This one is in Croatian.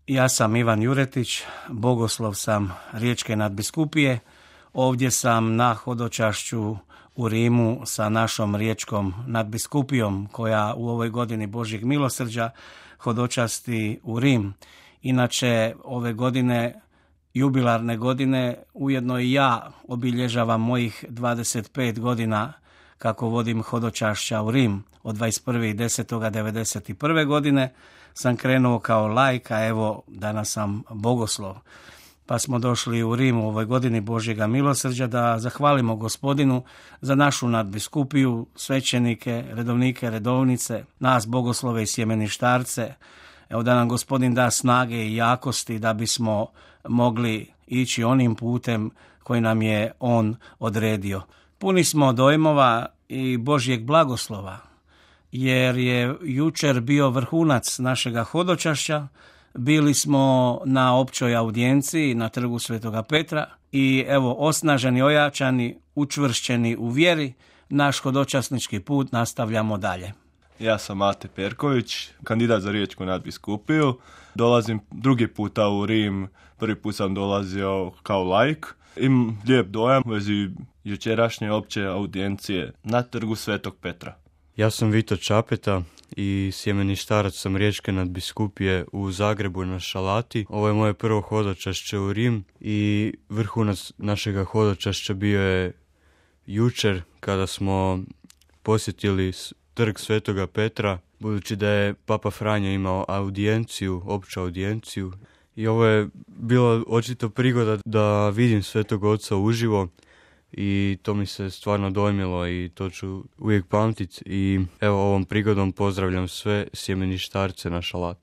Ja sam Ivan Juretić, bogoslov sam Riječke nadbiskupije. Ovdje sam na hodočašću u Rimu sa našom riječkom nadbiskupijom koja u ovoj godini Božjeg milosrđa hodočasti u Rim. Inače, ove godine, jubilarne godine, ujedno i ja obilježavam mojih 25 godina kako vodim hodočašća u Rim. Od 21.10.1991. godine sam krenuo kao laik, a evo danas sam bogoslov. Pa smo došli u Rim u ovoj godini Božjega milosrđa da zahvalimo Gospodinu za našu nadbiskupiju, svećenike, redovnike, redovnice, nas bogoslove i sjemeništarce. Evo da nam Gospodin da snage i jakosti da bismo mogli ići onim putem koji nam je On odredio. Puni smo dojmova i Božjeg blagoslova, jer je jučer bio vrhunac našega hodočašća. Bili smo na općoj audijenciji na trgu Svetoga Petra i evo osnaženi, ojačani, učvršćeni u vjeri, naš hodočasnički put nastavljamo dalje. Ja sam Mate Perković, kandidat za Riječku nadbiskupiju. Dolazim drugi puta u Rim, prvi put sam dolazio kao laik. Imam lijep dojam u vezi jučerašnje opće audijencije na trgu Svetog Petra. Ja sam Vito Čapeta i sjemeništarac sam Riječke nadbiskupije u Zagrebu na Šalati. Ovo je moje prvo hodočašće u Rim i vrhunac našega hodočašća bio je jučer kada smo posjetili trg Svetoga Petra, budući da je Papa Franjo imao audijenciju, opću audijenciju. I ovo je bilo očito prigoda da vidim Svetog Oca uživo i to mi se stvarno dojmilo i to ću uvijek pamtiti. I evo ovom prigodom pozdravljam sve sjemeništarce na Šalati.